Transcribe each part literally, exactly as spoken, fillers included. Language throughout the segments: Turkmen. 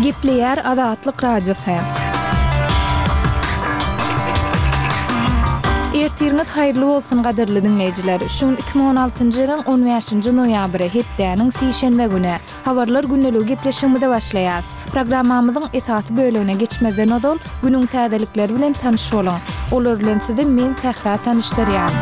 Gepleýär Azatlyk Radiosy. Ertiriňiz haýyrly bolsun gadyrly diňleýjiler. Şu gün iki müň on altynjy ýylyň on bäşinji noýabry, hepdäniň sişenbe güni. Habarlar gündeligi gepleşigimize başlaýas. Programmamyzyň esasy bölegine geçmezden ozal, günüň täzelikleri bilen tanyş boluň. Olar bilen sizi men Sähra tanyşdyrýan.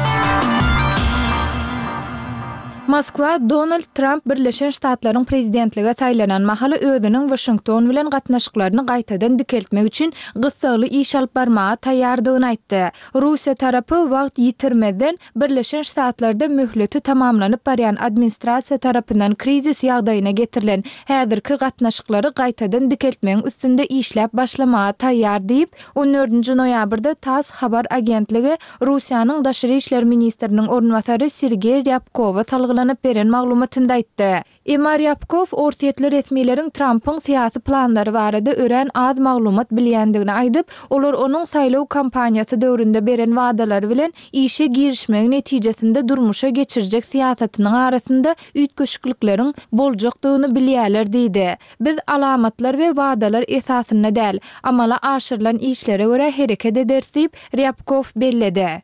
Moskwa Donald Tramp Birleşen Ştatlaryň prezidentlige saýlanan mahaly özüniň Waşington bilen gatnaşyklaryny gaýtadan dikeltmek üçin gyssagly iş alyp barmaga taýýardygyny aýtdy. Russiýa tarapy wagt ýitirmezden Birleşen Ştatlarda möhleti tamamlanyp barýan administrasiýa tarapyndan krizis ýagdaýyna getirilen häzirki gatnaşyklary gaýtadan dikeltmegiň üstünde işläp başlamaga taýýar diýip, on dördünji noýabrda tass habar agentligi Russiýanyň daşary işler ministriniň orunbasary Sergeý Rýabkowa salgylanyp beren maglumatynda aýtdy. Emma Rýabkow orsýetli resmileriň Trampyň syýasy planlary barada örän az maglumat bilýändigini aýdyp, olar onuň saýlaw kampaniýasy döwründe beren wadalary bilen işe girişmegi netijesinde durmuşa geçirjek syýasatynyň arasynda üýtgeşiklikleriň boljakdygyny bilýärler diýdi. Biz alamatlar we wadalar esasynda däl, amala aşyrylan işlere görä hereket ederis diýip, Rýabkow belledi.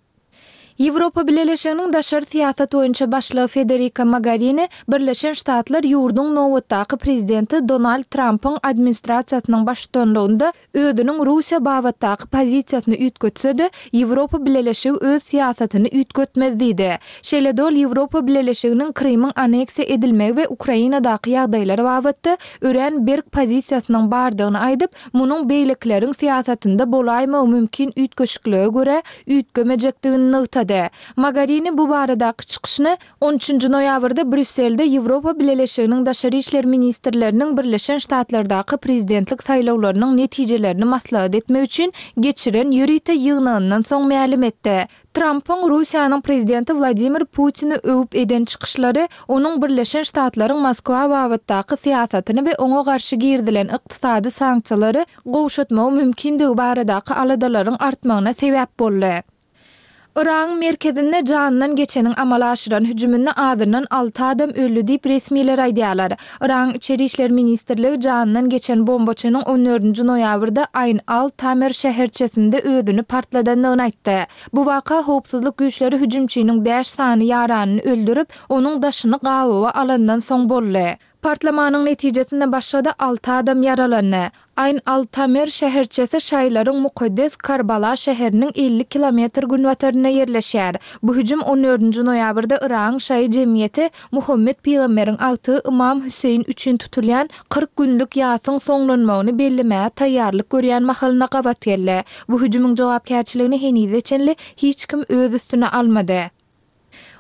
Ýewropa Bileleşiginiň daşary syýasat boýunça başlygy Federika Mogarini Birleşen Ştatlar ýurduň nobatdaky prezidenti Donald Trampyň administrasiýasynyň baştutanlygynda özüniň Russiýa babatdaky pozisiýasyny üýtgetse-de, Ýewropa Bileleşigi öz syýasatyny üýtgetmez diýdi. Şeýle-de ol Ýewropa Bileleşiginiň Krymyň anneksiýa edilmegi we Ukrainadaky ýagdaýlar babatda örän berk pozisiýasynyň bardygyny aýdyp, munuň beýlekileriň syýasatynda bolaýmagy mümkin üýtgeşiklige görä üýtgemejekdigini nygtady. Mogarini bu baradaky çykyşyny on üçünji noýabrda Brýusselde Ýewropa Bileleşiginiň daşary işler ministrleriniň Birleşen Ştatlardaky prezidentlik saýlawlarynyň netijelerini maslahat etmek üçin geçiren ýörite ýygnagyndan soň mälim etdi. Trampyň Russiýanyň prezidenti Wladimir Putini öwüp eden çykyşlary onuň Birleşen Ştatlaryň Moskwa babatdaky syýasatyny we oňa garşy girizilen ykdysady sanksiýalary gowşatmagy mümkindigi baradaky aladalaryň artmagyna sebäp boldy. Yragyň merkezinde janyndan geçeniň amala aşyran hüjüminde azyndan alty adam öldi diýip resmiler aýdýarlar. Yragyň Içeri işler ministrligi janyndan geçen bombaçynyň on dördünji noýabrda Aýn al-Tamer şäherçesinde özüni partladandygyny aýtdy. Bu waka howpsuzlyk güýçleri hüjümçiniň bäş sany ýaranyny öldürip, onuň daşyny gabawa alandan soň boldy. Partlamanyň netijesinde başga-da alty adam ýaralandy. Aýn al-Tamer şäherçesi şaýylaryň mukaddes Karbala şäheriniň elli kilometr günbatarynda ýerleşýär. Bu hüjüm on dördünji noýabrda Yragyň şaýy jemgyýeti Muhammet pygamberiň agtygy Ymam Hüseýin üçin tutulýan kyrk günlük ýasyň soňlanmagyny bellemäge taýýarlyk görýän mahalyna gabat geldi. Bu hüjümiň jogapkärçiligini henize çenli hiç kim öz üstüne almady.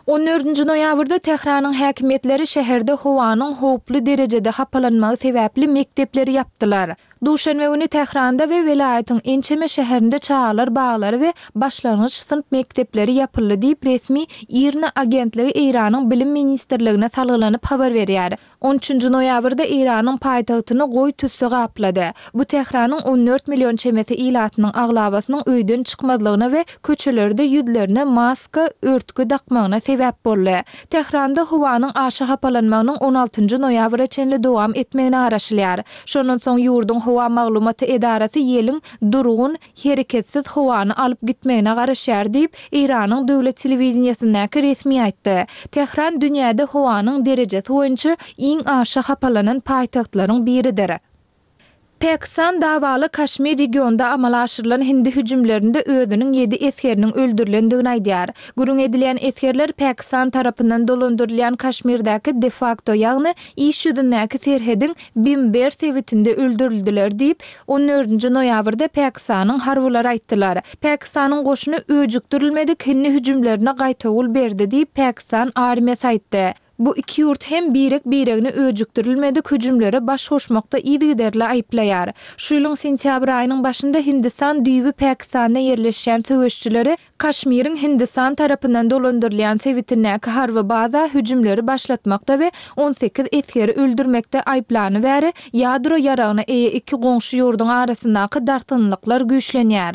On dördünji noýabrda Tähranyň häkimiýetleri şäherde howanyň howply derejede hapalanmagy sebäpli mekdepleri ýapdylar. Duşenbe güni Tähranda we welaýatyň ençeme şäherinde çagalar baglary we başlangyç synp mekdepleri ýapyldy diýip, resmi IRNA agentligi Eýranyň Bilim ministrligine salgylanyp habar berýär. On üçünji noýabrda Eýranyň paýtagtyny goýy tüsse gaplady. Bu Tähranyň on dört million çemesi ilatynyň aglabasynyň öýden çykmazlygyna we köçelerde ýüzlerine maska, örtgi dakmagyna sebäp boldy. Tähranda howanyň aşa hapalanmagynyň on altynjy noýabra çenli dowam etmegine garaşylýar. Şondan soň ýurduň howa maglumaty edarasy ýeliň durgun, hereketsiz howany alyp gitmegine garaşýar diýip, Eýranyň döwlet telewideniýesindäki resmi aýtdy. Tähran dünýäde howanyň derejesi boýunça iň aşa hapalanan paýtagtlaryň biridir. Pakistan dawaly Kaşmir regionda amala aşyrylan hindi hüjümlerinde özüniň ýedi esgeriniň öldürilendigini aýdýar. Gürrüň edilýän esgerler Pakistan tarapyndan dolandyrylýan Kaşmirdäki de-fakto, ýagny iş ýüzündäki serhediň Bimber sebitinde öldürildiler diýip, on dördünji noýabrda Pakistanyň harbylary aýtdylar. Pakistanyň goşuny öjükdirilmedik hindi hüjümlerine gaýtawul berdi diýip, Pakistan armiýasy aýtdy. Bu iki ýurt hem birek-biregini öjükdirilmedik hüjümlere baş goşmakda yzygiderli aýyplaýar. Şu ýylyň sentýabr aýynyň başynda Hindistan düýbi Pakistanda ýerleşýän söweşçileri Kaşmiriň Hindistan tarapyndan dolandyrylýan sebitindäki harby baza hüjümleri başlatmakda we on sekiz esgeri öldürmekde aýyplany bäri ýadro ýaragyna eýe iki goňşy ýurduň arasyndaky dartgynlyklar güýçlenýär.